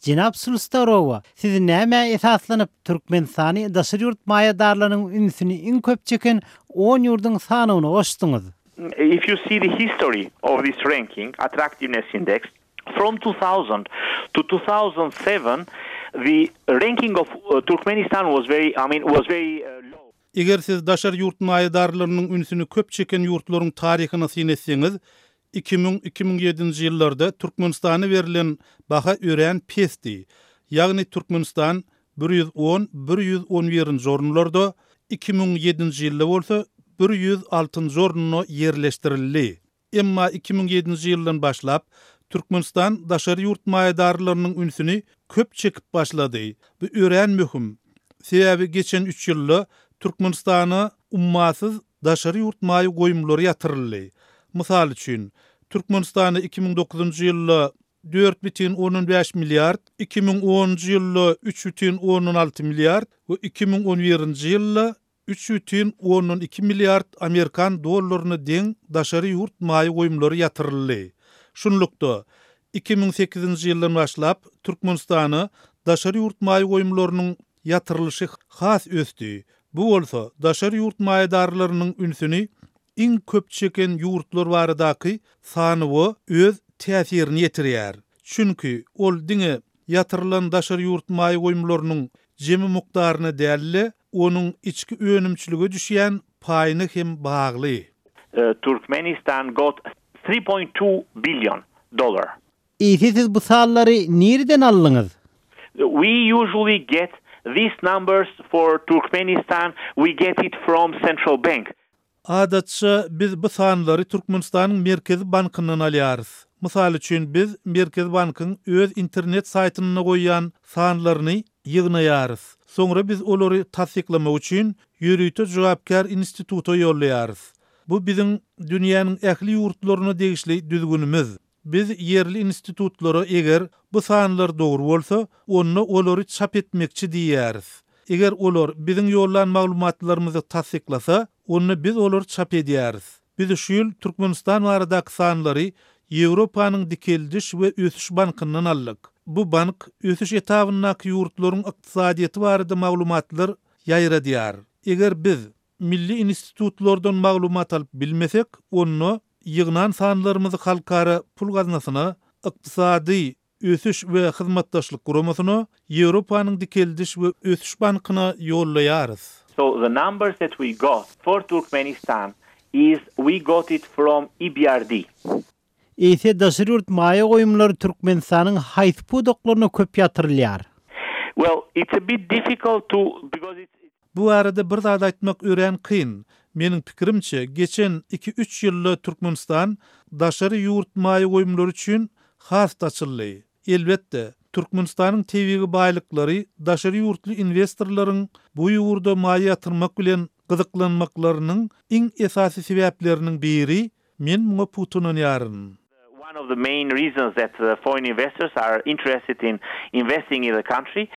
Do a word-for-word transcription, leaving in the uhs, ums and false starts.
Jenap Sulstarowa, siz nämä esaslanyp Türkmenistany daşary ýurt maýadarlarynyň ünsüni iň köp çeken on ýurduň sanawyna goşduňyz? If you see the history of this ranking, attractiveness index, from two thousand to two thousand seven, the ranking of uh, Turkmenistan was very, I mean, was very uh, low. Eger siz daşary ýurt maýadarlarynyň ünsüni köp çeken ýurtlaryň taryhyny syn etseňiz, iki müň-iki müň ýedinji ýyllarda Türkmenistana berlen baha örän pesdi. Ýagny Türkmenistan bir ýüz on, bir ýüz on birinji orunlarda, iki müň ýedinji ýylda bolsa bir ýüz altynjy orunda ýerleşdirildi. Emma iki müň ýedinji ýyldan başlap Türkmenistan daşary ýurt maýadarlarynyň ünsüni köp çekip başlady. Bu örän möhüm. Sebäbi geçen üç ýylda Türkmenistana ummasyz daşary ýurt maýa goýumlary ýatyryldy. Mysal üçin, Türkmenistana iki müň dokuzynjy ýylda dört bütin ondan bäş milliard, iki müň onunjy ýylda üç bütin ondan alty milliard we iki müň on birinji ýylda üç bütin ondan iki milliard Amerikan dollaryna deň daşary ýurt maýa goýumlary ýatyryldy. Şunlukda iki müň sekizinji ýyldan başlap Türkmenistana daşary ýurt maýa goýumlarynyň ýatyrylyşy has ösdi. Bu bolsa daşary ýurt maýadarlarynyň ünsüni iň köp çeken ýurtlar baradaky sanawa öz täsirini ýetirýär. Çünki ol diňe ýatyrylan daşary ýurt maýa goýumlarynyň jemi mukdaryna däl-de, onuň içki önümçilige düşýän paýyna hem bagly. Uh, Turkmenistan got three point two billion dollar. Eýse siz bu sanlary nireden aldyňyz? We usually get these numbers for Turkmenistan, we get it from central bank. Adatça biz bu sanlary Türkmenistanyň Merkezi Bankyndan alýarys. Mysal üçin, biz Merkezi Bankyň öz internet saýtynda goýan sanlaryny ýygnaýarys. Soňra biz olary tassyklamak üçin ýörite jogapkär instituta ýollaýarys. Bu biziň dünýäniň ähli ýurtlaryna degişli düzgünimiz. Biz ýerli institutlara eger bu sanlar dogry bolsa, onda olary çap etmekçi diýýäris. Eger olar biziň ýollan maglumatlarymyzy tassyklasa, onda biz olary çap edýäris. Biz şu ýyl Türkmenistan baradaky sanlary Ýewropanyň Dikeldiş we Ösüş Bankyndan aldyk. Bu bank ösüş etabyndaky ýurtlaryň ykdysadyýeti barada maglumatlar ýaýradýar. Eger biz milli institutlardan maglumat alyp bilmesek, onda ýygnan sanlarymyzy Halkara pul gaznasyna, Ykdysady Ösüş we Hyzmatdaşlyk Guramasyna, Ýewropanyň Dikeldiş we Ösüş Bankyna ýollaýarys. So the numbers that we got for Turkmenistan is we got it from E B R D. Eýse daşary ýurt maýa goýumlary Türkmenistanyň haýsy pudaklaryna köp ýatyrylýar? Well, it's a bit difficult to because it's Bu arada bir zat aýtmak örän kyn. Meniň pikirimçe, geçen iki-üç ýylda Türkmenistan daşary ýurt maýa goýumlary üçin has açyldy. Elbetde, Türkmenistanyň tebigy baýlyklary daşary ýurtly investorlaryň bu ýurda maýa ýatyrmak bilen gyzyklanmaklarynyň iň esasy sebäpleriniň biri, men muňa pugta ynanýaryn. One of the main reasons that the foreign investors are interested in investing in the country.